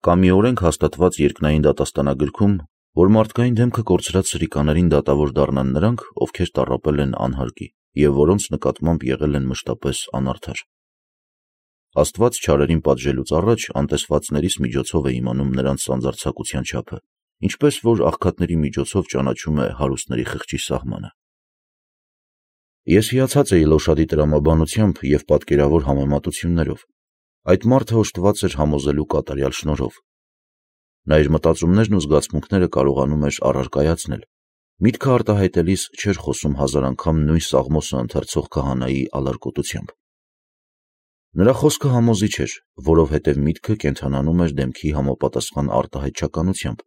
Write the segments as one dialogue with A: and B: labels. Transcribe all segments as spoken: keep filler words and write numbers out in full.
A: Կամ մի օրենք հաստատված երկնային դատաստանագրքում, որ մարդկային դեմքը կորցրած սրիկաներին դատավոր դառնան նրանք, ովքեր տառապել են անհարկի և որոնց նկատմամբ եղել են մշտապես անարդար։ Աստված չարերին պատժելուց առաջ անտեսվածներիս միջոցով է իմանում նրանց սանձարձակության չափը, ինչպես որ աղքատների միջոցով ճանաչում է հարուստների խղճի սահմանը։ Ես հիացած էի Լոշադի տրամաբանությամբ և պատկերավոր համեմատություններով։ Այդ մարդը օժտված էր համոզելու կատարյալ շնորհով։ Նա իր մտածումներն ու զգացմունքները կարողանում էր առարկայացնել, միտքը արտահայտելիս չէր խոսում հազար անգամ նույն Սաղմոսը ընթերցող քահանայի ալարկոտությամբ։ Նրա խոսքը համոզիչ էր, որովհետև միտքը կենդանանում էր դեմքի համապատասխան արտահայտչականությամբ,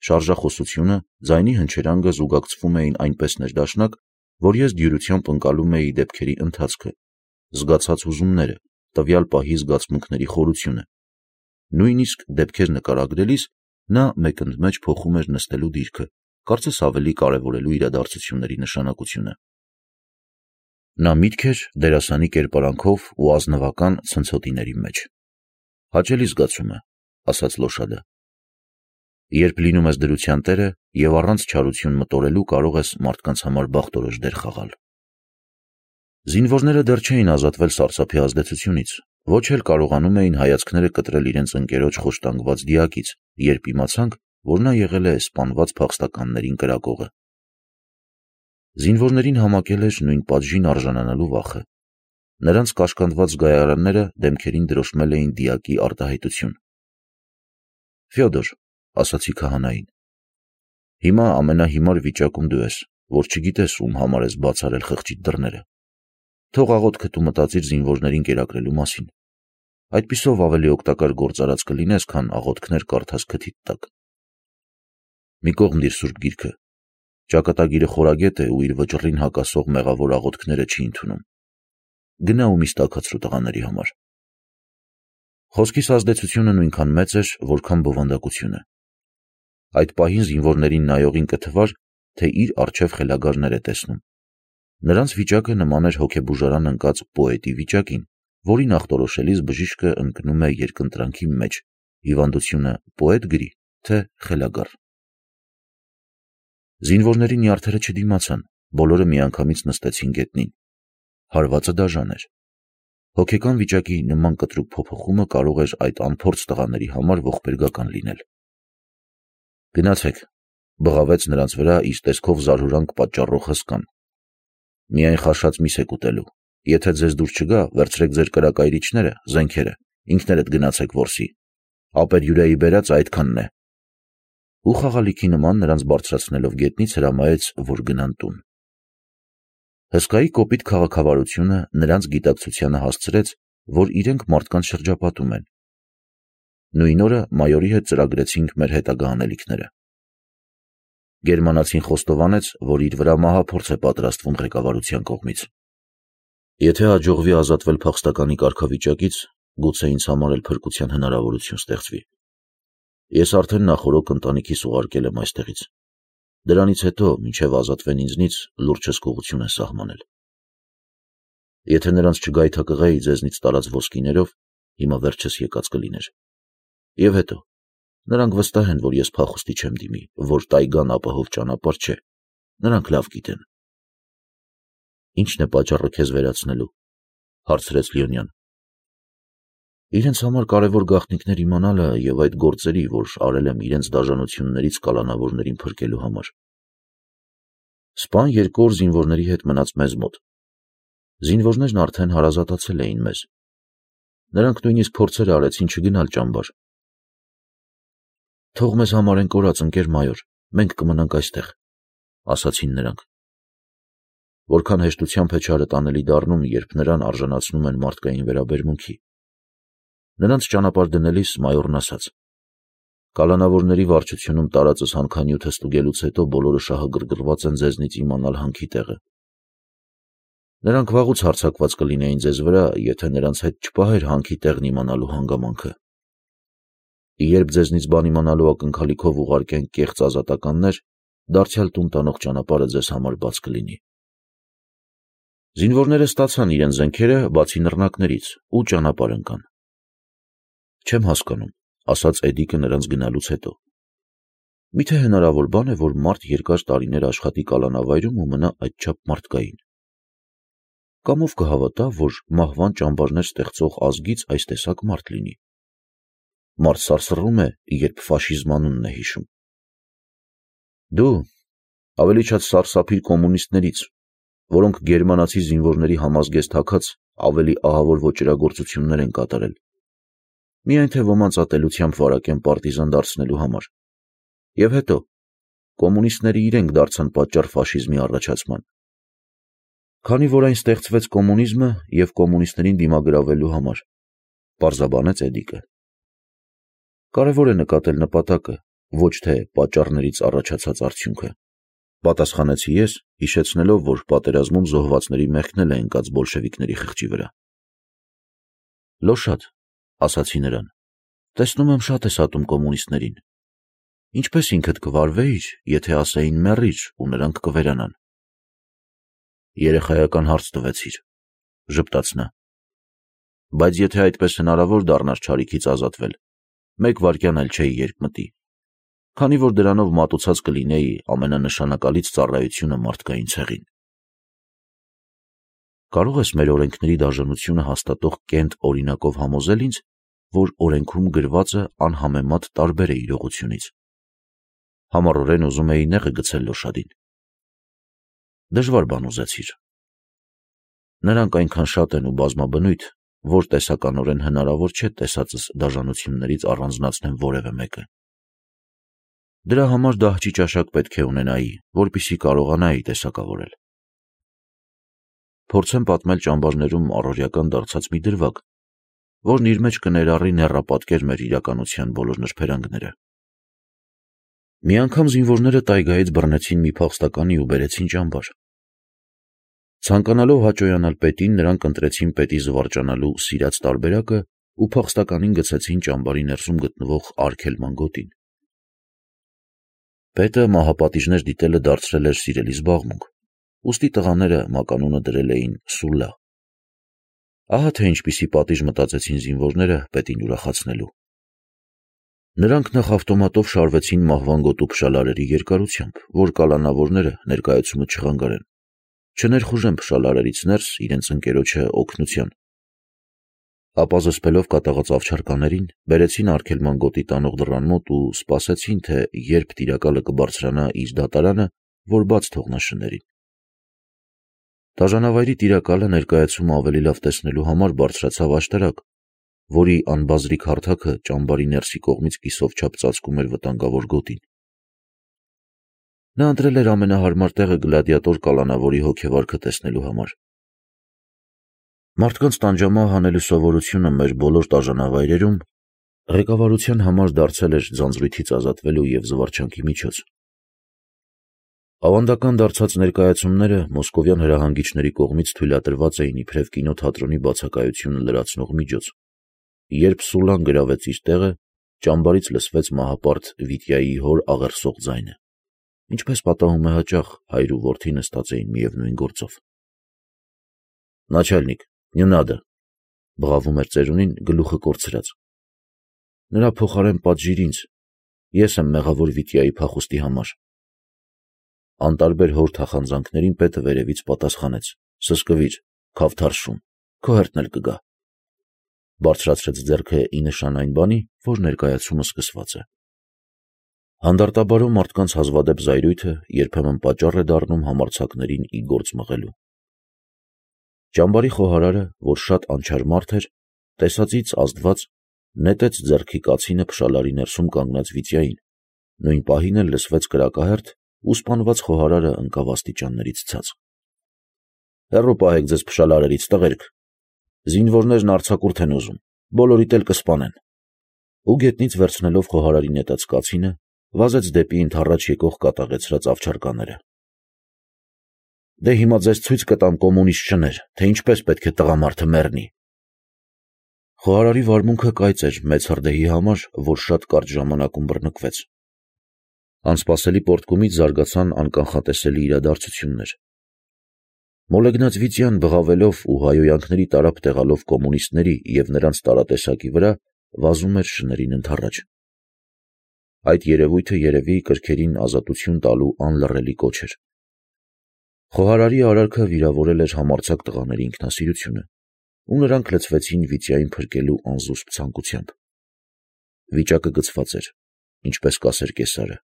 A: շարժախոսությունը, ձայնի հնչերանգը զուգակցվում էին այնպես ներդաշնակ, որ ես դյուրությամբ ընկալում էի դեպքերի ընթացքը, զգացած հուզումները, տվյալ պահի զգացմունքների խորությունը։ Նույնիսկ դեպքեր նկարագրելիս նա մեկընդմեջ փոխում էր նստելու դիրքը, կարծես ավելի կարևորելու իրադարձությունների նշանակությունը։ Նա միտք էր դերասանի կերպարանքով ու ազնվական ցնցոտիների մեջ։ Հաճելի զգացում է, ասաց Լոշադը։ Երբ լինում ես դրության տերը և առանց չարություն մտորելու կարող ես մարդկանց համար բախտորոշ դեր խաղալ։ Զինվորները դեռ չէին ազատվել սարսափի ազդեցությունից, ոչ էլ կարողանում էին հայացքները կտրել իրենց ընկերոջ խոշտանգված դիակից, երբ իմացանք, որ նա եղել է սպանված փախստականներին կրակողը։ Զինվորներին համակել էր նույն պատժին արժանանալու վախը։ Նրանց կաշկանդված զգայարանները դեմքերին դրոշմել էին դիակի արտահայտություն։ Ֆյոդոր, ասացի քահանային, հիմա ամենահիմար վիճակում դու ես, որ չգիտես ում համար ես բաց արել խղճիդ դռները։ Թող աղոթքդ ու մտածիր զինվորներին կերակրելու մասին։ Այդպիսով ավելի օգտակար գործարած կլինես, քան աղոթքներ կարդաս քթիդ տակ։ Մի կողմ դիր Սուրբ Գիրքը։ Ճակատագիրը խորագետ է ու իր վճռին հակասող մեղավոր աղոթքները չի ընդունում։ Գնա ու միս տաքացրու տղաների համար։ Խոսքիս ազդեցությունը նույնքան մեծ էր, որքան բովանդակությունը։ Այդ պահին զինվորներին նայողին կթվար, թե իր առջև խելագարներ է տեսնում։ Նրանց վիճակը նման էր հոգեբուժարան ընկած պոետի վիճակին, որին ախտորոշելիս բժիշկը ընկնում է երկընտրանքի մեջ, հիվանդությունը պոետ գրի, թե խելագար։ Զինվորների նյարդերը չդիմացան, բոլորը միանգամից նստեցին գետնին։ Հարվածը դաժան էր։ Հոգեկան վիճակի նման կտրուկ փոփոխումը կարող էր այդ անփորձ տղաների համար ողբերգական լինել։ Գնացեք, բղավեց նրանց վրա իր տեսքով զարհուրանք պատճառող հսկան։ Միայն խաշած միս եք ուտելու։ Եթե ձեզ դուր չգա, վերցրեք ձեր կրակայրիչները, զենքերը, ինքներդ գնացեք որսի։ Ապերյուրեի բերած այդքանն է։ Ու խաղալիքի նման նրանց բարձրացնելով գետնից հրամայեց, որ գնան տուն։ Հսկայի կոպիտ քաղաքավարությունը նրանց գիտակցությանը հասցրեց, որ իրենք մարդկանց շրջապատում են։ Նույն օրը մայորի հետ ծրագրեցինք մեր հետագա անելիքները։ Գերմանացին խոստովանեց, որ իր վրա մահափորձ է պատրաստվում ղեկավարության կողմից։ Եթե հաջողվի ազատվել փախստականի կարգավիճակից, գուցե ինձ համար էլ փրկության հնարավորություն ստեղծվի։ Ես արդեն նախօրոք ընտանիքիս ուղարկել եմ այստեղից։ Դրանից հետո, մինչև ազատվեն ինձնից, լուրջ հսկողություն են սահմանել։ Եթե նրանց չգայթակղեի ձեզնից տարած ոսկիներով, հիմա վերջս եկած կլիներ։ Եվ հետո, նրանք վստահ են, որ ես փախուստի չեմ դիմի, որ տայգան ապահով ճանապարհ չէ։ Նրանք լավ գիտեն։ Ի՞նչն է պատճառը քեզ վերացնելու, հարցրեց Լիոնյան։ Իրենց համար կարևոր գաղտնիքներ իմանալը և այդ գործերի, որ արել եմ իրենց դաժանություններից կալանավորներին փրկելու համար։ Սպան երկու օր զինվորների հետ մնաց մեզ մոտ։ Զինվորներն արդեն հարազատացել էին մեզ։ Նրանք նույնիսկ փորձեր արեցին չգնալ ճամբար։ Թող մեզ համար են կորած, ընկեր մայոր, մենք կմնանք այստեղ, ասացին նրանք։ Որքան հեշտությամբ է չարը տանելի դառնում, երբ նրան արժանացնում են մարդկային վերաբերմունքի։ Նրանց ճանապարհ դնելիս մայորն ասաց. Կալանավորների վարչությունում տարածս հանքանյութը ստուգելուց հետո բոլորը շահագրգռված են ձեզնից իմանալ հանքի տեղը։ Նրանք վաղուց հարձակված կլինեին ձեզ վրա, եթե նրանց հետ չպահեր հանքի տեղն իմանալու հանգամանքը։ Երբ ձեզնից բան իմանալու ակնկալիքով ուղարկենք կեղծ ազատականներ, դարձյալ տուն տանող ճանապարհը ձեզ համար բաց կլինի։ Զինվորները ստացան իրենց զենքերը, բացի նռնակներից, ու ճանապարհ ընկան։ Չեմ հասկանում, ասաց Էդիկը նրանց գնալուց հետո։ Միթե հնարավոր բան է, որ մարդ երկար տարիներ աշխատի կալանավայրում ու մնա այդչափ մարդկային։ Կամ ով կհավատա, որ մահվան ճամբարներ ստեղծող ազգից այս տեսակ մարդ լինի։ Մարդ սարսռում է, երբ ֆաշիզմ անունն է հիշում։ Դու ավելի շատ սարսափիր կոմունիստներից, որոնք գերմանացի զինվորների համազգեստ հագած ավելի ահավոր ոճրագործություններ են կատարել։ Միայն թե ոմանց ատելությամբ վարակեն պարտիզան դարձնելու համար։ Եվ հետո, կոմունիստները իրենք դարձան պատճառ ֆաշիզմի առաջացման։ Քանի որ այն ստեղծվեց կոմունիզմը և կոմունիստներին դիմագրավելու համար, պարզաբանեց Էդիկը։ Կարևոր է նկատել նպատակը, ոչ թե պատճառներից առաջացած արդյունքը, պատասխանեցի ես, հիշեցնելով, որ պատերազմում զոհվածների մեղքն էլ է ընկած բոլշևիկների խղճի վրա։ Լոշատ, ասացի նրան, տեսնում եմ շատ ես ատում կոմունիստներին։ Ինչպես ինքդ կվարվեիր, եթե ասեին մեռիր ու նրանք կվերանան։ Երեխայական հարց տվեցիր, ժպտաց նա։ Բայց եթե այդպես հնարավոր դառնար չարիքից ազատվել, մեկ վայրկյան էլ չէի երկմտի, քանի որ դրանով մատուցած կլինեի ամենանշանակալից ծառայությունը մարդկային ցեղին։ Կարող ես մեր օրենքների դաժանությունը հաստատող կենտ օրինակով համոզել ինձ, որ օրենքում գրվածը անհամեմատ տարբեր է իրողությունից։ Համառորեն ուզում էի նեղը գցել Լոշադին։ Դժվար բան ուզեցիր։ Նրանք այնքան շատ են ու բազմաբնույթ, որ տեսականորեն հնարավոր չէ տեսածս դաժանություններից առանձնացնեմ որևէ մեկը։ Դրա համար դահճի ճաշակ պետք է ունենայի, որպեսզի կարողանայի տեսակավորել։ Փորձեմ պատմել ճամբարներում առօրյական դարձած մի դրվագ, որն իր մեջ կներառի նեռապատկեր մեր իրականության բոլոր նրբերանգները։ Մի անգամ զինվորները տայգայից բռնեցին մի փախստականի ու բերեցին ճամբար։ Ցանկանալով հաճոյանալ պետին, նրանք ընտրեցին պետի զվարճանալու սիրած տարբերակը ու փախստականին գցեցին ճամբարի ներսում գտնվող արգելման գոտին։ Պետը մահապատիժներ դիտելը դարձրել էր սիրելի զբաղմունք, ուստի տղաները մականունը դրել էին Սուլլա։ Ահա թե ինչպիսի պատիժ մտածեցին զինվորները պետին ուրախացնելու։ Նրանք նախ ավտոմատով շարվեցին մահվան գոտու փշալարերի երկարությամբ, որ կալանավորները ներկայացումը չխանգարեն, չներխուժեն փշալարերից ներս իրենց ընկերոջը օգնության։ Ապա զսպելով կատաղած ավչարկաներին, բերեցին արգելման գոտի տանող դռան մոտ ու սպասեցին, թե երբ տիրակալը կբարձրանա իր դատարանը, որ բաց թողնա շներին։ Դաժանավայրի տիրակալը ներկայացումը ավելի լավ տեսնելու համար բարձրացավ աշտարակ, որի անբազրիկ հարթակը ճամբարի ներսի կողմից կիսով չափ ծածկում էր վտանգավոր գոտին։ Նա ընտրել էր ամենահարմար տեղը գլադիատոր կալանավորի հոգեվարքը տեսնելու համար։ Մարդկանց տանջամահ անելու սովորությունը մեր բոլոր դաժանավայրերում ղեկավարության համար դարձել էր ձանձրույթից ազատվելու և զվարճանքի միջոց։ Ավանդական դարձած ներկայացումները մոսկովյան հրահանգիչների կողմից թույլատրված էին իբրև կինոթատրոնի բացակայությունը լրացնող միջոց։ Երբ Սուլլան գրավեց իր տեղը, ճամբարից լսվեց մահապարտ Վիտյայի հոր աղերսող ձայնը, ինչպես պատահում է հաճախ, հայր ու որդի նստած էին միևնույն գործով։ Նաչալնիկ, не надо, բղավում էր ծերունին գլուխը կորցրած։ Նրա փոխարեն պատժիր ինձ, ես եմ մեղավոր Վիտյայի փախուստի համար։ Անտարբեր հոր թախանձանքներին պետը վերևից պատասխանեց. Սսկվիր, քավթարշում, քո հերթն էլ կգա։ Բարձրացրեց ձեռքը ի նշան այն բանի, որ ներկայացումը սկսված է։ Հանդարտաբարո մարդկանց հազվադեպ զայրույթը երբեմն պատճառ է դառնում համարձակներին ի գործ մղելու։ Ճամբարի խոհարարը, որ շատ անչար մարդ էր, տեսածից ազդված, նետեց ձեռքի կացինը փշալարի ներսում կանգնած Վիտյային, նույն պահին էլ լսվեց կրակահերթ ու սպանված խոհարարը ընկավ աստիճաններից ցած։ Հեռու պահեք ձեզ փշալարերից, տղերք, զինվորներն արձակուրդ են ուզում, բոլորիդ էլ կսպանեն։ Ու գետնից վերցնելով խոհարարի նետած կացինը, վազեց դեպի ընդառաջ եկող կատաղեցրած ավչարկաները։ Դե հիմա ձեզ ցույց կտամ կոմունիստ շներ, թե ինչպես պետք է տղամարդը մեռնի։ Խոհարարի վարմունքը կայծ էր մեծ հրդեհի համար, որ շատ կարճ ժամանակում բռնկվեց։ Անսպասելի պոռթկումից զարգացան անկանխատեսելի իրադարձություններ։ Մոլեգնած Վիտյան բղավելով ու հայոյանքների տարափ տեղալով կոմունիստների և նրանց տարատեսակի վրա, վազում էր շներին ընդառաջ։ Այդ երևույթը երևի կրքերին ազատություն տալու անլռելի կոչ էր։ Խոհարարի արարքը վիրավորել էր համարձակ տղաների ինքնասիրությունը, ու նրանք լցվեցին Վիտյային փրկելու անզուսպ ցանկությամբ։ Վիճակը գծված էր, ինչպես կասեր կեսարը։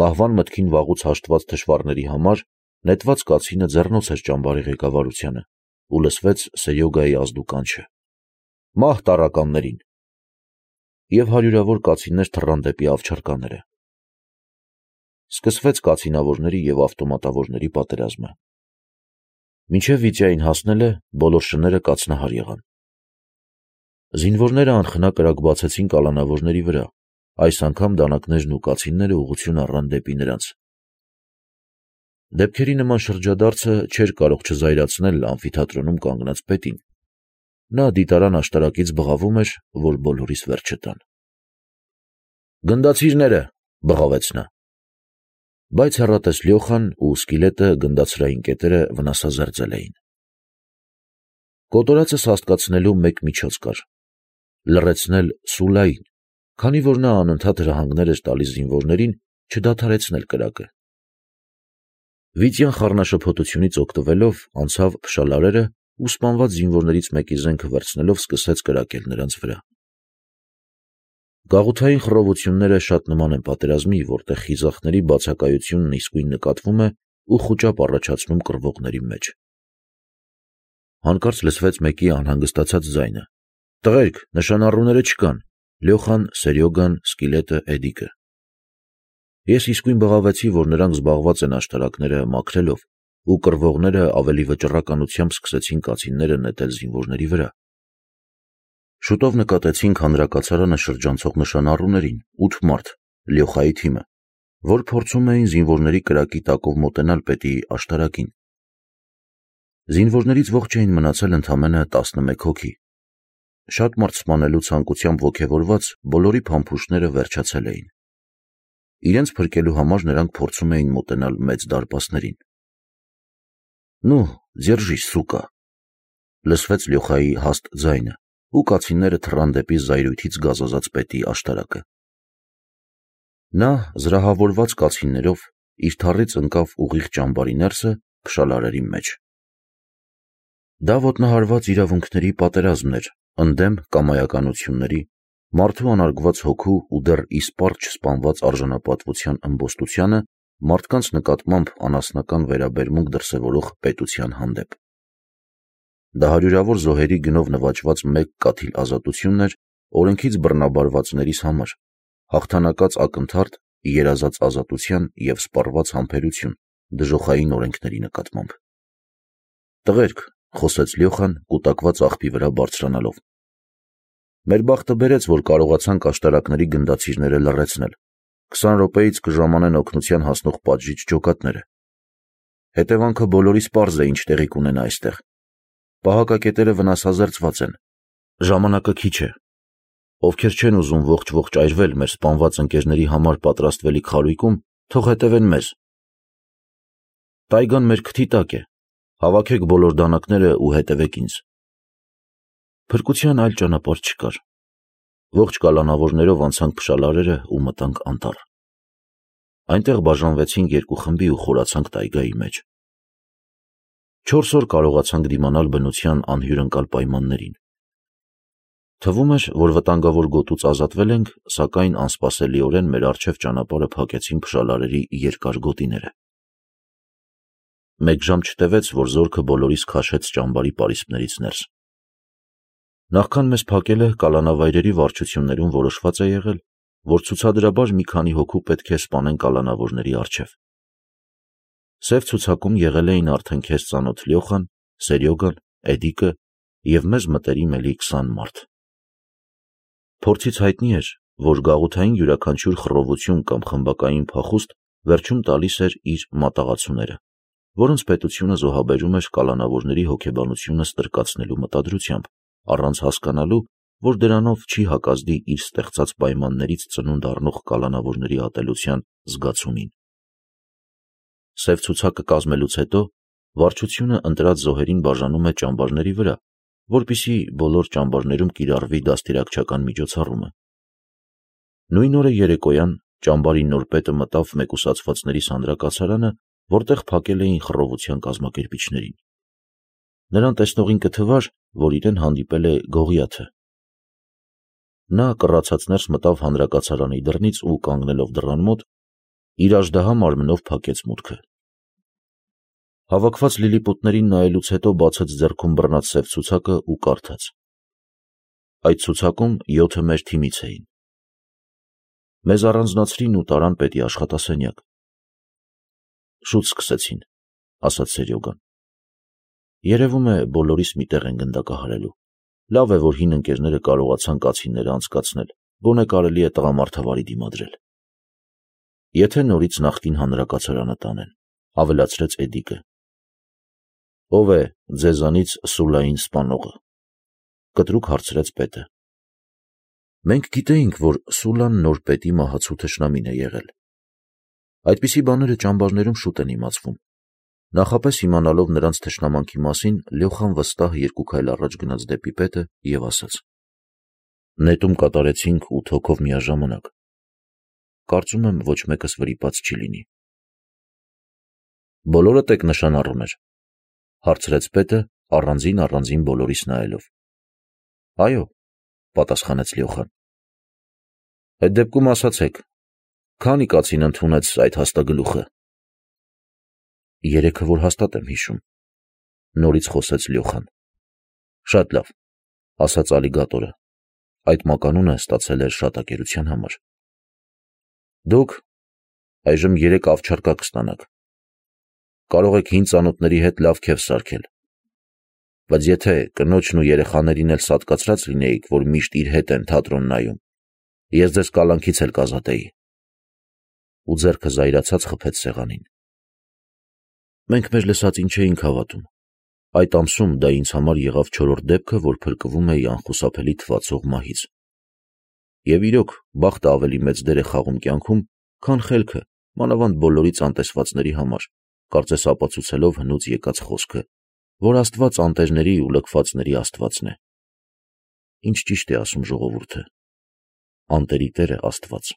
A: Մահվան մտքին վաղուց հաշտված թշվառների համար նետված կացինը ձեռնոց էր ճամբարի ղեկավարությանը, ու լսվեց Սերյոգայի ազդու կանչը. «Մահ տառականներին»։ Եվ հարյուրավոր կացիններ թռան դեպի ավչարկաները։ Սկսվեց կացինավորների և ավտոմատավորների պատերազմը։ Մինչև Վիտյային հասնելը բոլոր շները կացնահար եղան։ Զինվորները անխնա կրակ բացեցին կալանավորների վրա, այս անգամ դանակներն ու կացինները ուղղություն առան դեպի նրանց։ Դեպքերի նման շրջադարձը չէր կարող չզայրացնել ամֆիթատրոնում կանգնած պետին։ Նա դիտարան աշտարակից բղավում էր, որ բոլորիս վերջը տան։ «Գնդացիրները», բղավեց նա։ Բայց հեռատես Լյոխան ու Սկիլետը գնդացրային կետերը վնասազերծել էին։ Կոտորածը սաստկացնելու մեկ միջոց կար՝ լռեցնել Սուլային, քանի որ նա անընդհատ հրահանգներ էր տալիս զինվորներին չդադարեցնել կրակը։ Վիտյան խառնաշփոթությունից օգտվելով անցավ փշալարերը ու սպանված զինվորներից մեկի զենքը վերցնելով սկսեց կրակել նրանց վրա։ Գաղութային խռովությունները շատ նման են պատերազմի, որտեղ խիզախների բացակայությունն իսկույն նկատվում է ու խուճապ առաջացնում կռվողների մեջ։ Հանկարծ լսվեց մեկի անհանգստացած ձայնը. «Տղերք, նշանառուները չկան»։ Լյոխան, Սերյոգան, Սկիլետը, Էդիկը։ Ես իսկույն բղավեցի, որ նրանք զբաղված են աշտարակները մաքրելով, ու կռվողները ավելի վճռականությամբ սկսեցին կացինները նետել զինվորների վրա։ Շուտով նկատեցինք հանրակացարանը շրջանցող նշանառուներին, ութ մարդ, Լյոխայի թիմը, որ փորձում էին զինվորների կրակի տակով մոտենալ պետի աշտարակին։ Զինվորներից ողջ էին մնացել ընդամենը տասնմեկ հոգի։ Շատ մարդ սպանելու ցանկությամբ ոգևորված բոլորի փամփուշտները վերջացել էին։ Իրենց փրկելու համար նրանք փորձում էին մոտենալ մեծ դարպասներին։ «Նու, ձերժիս, սուկա», լսվեց Լյոխայի հաստ ձայնը, ու կացինները թռան դեպի զայրույթից գազազած պետի աշտարակը։ Նա, զրահավորված կացիններով, իր թառից ընկավ ուղիղ ճամբարի ներսը փշալարերի մեջ։ Դա ոտնահարված իրավունքների պատերազմն էր, ընդդեմ կամայականությունների, մարդու անարգված հոգու ու դեռ իսպառ չսպանված արժանապատվության ըմբոստությանը մարդկանց նկատմամբ անասնական վերաբերմունք դրսևորող պետության հանդեպ։ Դա հարյուրավոր զոհերի գնով նվաճված մեկ կաթիլ ազատությունն էր օրենքից բռնաբարվածներիս համար, հաղթանակած ակնթարթ երազած ազատության և սպառված համբերություն դժոխային օրենքների նկատմամբ։ «Տղերք», խոսեց Լյոխան, կուտակված աղբի վրա բարձրանալով, «մեր բախտը բերեց, որ կարողացանք աշտարակների գնդացիրները լռեցնել, քսան րոպեից կժամանեն օգնության հասնող պատժիչ ջոկատները։ Հետևանքը բոլորիս պարզ է, ինչ տեղի կունենա այստեղ։ Պահակակետերը վնասազերծված են։ Ժամանակը քիչ է։ Ովքեր չեն ուզում ողջ-ողջ այրվել մեր սպանված ընկերների համար պատրաստվելիք խարույկում, թող հետևեն մեզ։ Տայգան մեր քթի տակ է։ Հավաքեք բոլոր դանակները ու հետևեք ինձ»։ Փրկության այլ ճանապարհ չկար։ Ողջ կալանավորներով անցանք փշալարերը ու մտանք անտառ։ Այնտեղ բաժանվեցինք երկու խմբի ու խորացանք տայգայի մեջ։ Չորս օր կարողացանք դիմանալ բնության անհյուրընկալ պայմաններին։ Թվում էր, որ վտանգավոր գոտուց ազատվել ենք, սակայն անսպասելիորեն մեր առջև ճանապարհը փակեցին փշալարերի երկար գոտիները։ Մեկ ժամ չտևեց, որ զորքը բոլորիս քաշեց ճամբարի պարիսպներից ներս։ Նախքան մեզ փակելը կալանավայրերի վարչություններում որոշված է եղել, որ ցուցադրաբար մի քանի հոգու պետք է սպանեն կալանավորների առջև։ Սև ցուցակում եղել էին արդեն քեզ ծանոթ Լյոխան, Սերյոգան, Էդիկը և մեզ մտերիմ էլի քսան մարդ։ Փորձից հայտնի էր, որ գաղութային յուրաքանչյուր խռովություն կամ խմբակային փախուստ վերջում տալիս էր իր մատաղացուները, որոնց պետությունը զոհաբերում էր կալանավորների հոգեբանությունը ստրկացնելու մտադրությամբ, առանց հասկանալու, որ դրանով չի հակազդի իր ստեղծած պայմաններից ծնունդ առնող կալանավորների ատելության զգացումին։ Սև ցուցակը կազմելուց հետո վարչությունը ընտրած զոհերին բաժանում է ճամբարների վրա որպեսզի բոլոր ճամբարներում կիրառվի դաստիարակչական միջոցառումը։ Նույն օրը երեկոյան ճամբարի նոր պետը մտավ մեկուսացվածների սանրակացարանը, որտեղ փակել էին խռովության կազմակերպիչներին։ Նրան տեսնողին կթվար, որ իրեն հանդիպել է Գողիաթը։ Նա կռացած ներս մտավ հանրակացարանի դռնից ու կանգնելով դռան մոտ, իր աժդահա մարմնով փակեց մուտքը։ Հավաքված լիլիպուտներին նայելուց հետո բացեց ձեռքում բռնած սև ցուցակը ու կարդաց. այդ ցուցակում յոթը մեր թիմից էին։ Մեզ առանձնացրին ու տարան պետի աշխատասենյակ։ Շուտ սկսեցին, ասաց Սերյոգան։ Երևում է բոլորիս մի տեղ են գնդակահարելու։ Լավ է, որ հին ընկերները կարողացան կացինները անցկացնել, գոնե կարելի է տղամարդավարի դիմադրել։ Եթե նորից նախկին հանրակացարանը տանեն, ավելացրեց Էդիկը։ Ով է ձեզանից Սուլային սպանողը, կտրուկ հարցրեց պետը։ Մենք գիտեինք, որ Սուլան նոր պետի մահացու թշնամին է եղել։ Այդպիսի բաները ճամբարներում շուտ են իմացվում։ Նախապես իմանալով նրանց թշնամանքի մասին, Լյոխան վստահ երկու քայլ առաջ գնաց դեպի պետը և ասաց. նետում կատարեցինք ութ հոգով միաժամանակ։ Կարծում եմ, ոչ մեկս վրիպած չի լինի։ Բոլորդ եք նշան առուներ, հարցրեց պետը, առանձին առանձին բոլորիս նայելով։ Այո, պատասխանեց Լյոխան։ Այդ դեպքում ասացեք, քանի կացին ընդունեց այդ հաստագլուխը։ Երեքը որ հաստատ եմ հիշում, նորից խոսեց Լյոխան։ Շատ լավ, ասաց ալիգատորը, այդ մականունը ստացել էր շատակերության համար։ Դուք այժմ երեք ավչարկա կստանաք։ Կարող եք հին ծանոթների հետ լավ քեֆ սարքել։ Բայց եթե կնոջն ու երեխաներին էլ սատկացրած լինեիք, որ միշտ իր հետ են թատրոն նայում, ես ձեզ կալանքից էլ կազատեի։ Ու ձեռքը զայրացած խփեց սեղանին։ Մենք մեր լսածին չէինք հավատում։ Այդ ամսում դա ինձ համար եղավ չորրորդ դեպքը, որ փրկվում էի անխուսափելի թվացող մահից։ Եվ իրոք, բախտը ավելի մեծ դեր է խաղում կյանքում, քան խելքը, մանավանդ բոլորից անտեսվածների համար, կարծես ապացուցելով հնուց եկած խոսքը, որ Աստված անտերների ու լքվածների Աստվածն է։ Ինչ ճիշտ է ասում ժողովուրդը, անտերի Տերը Աստված։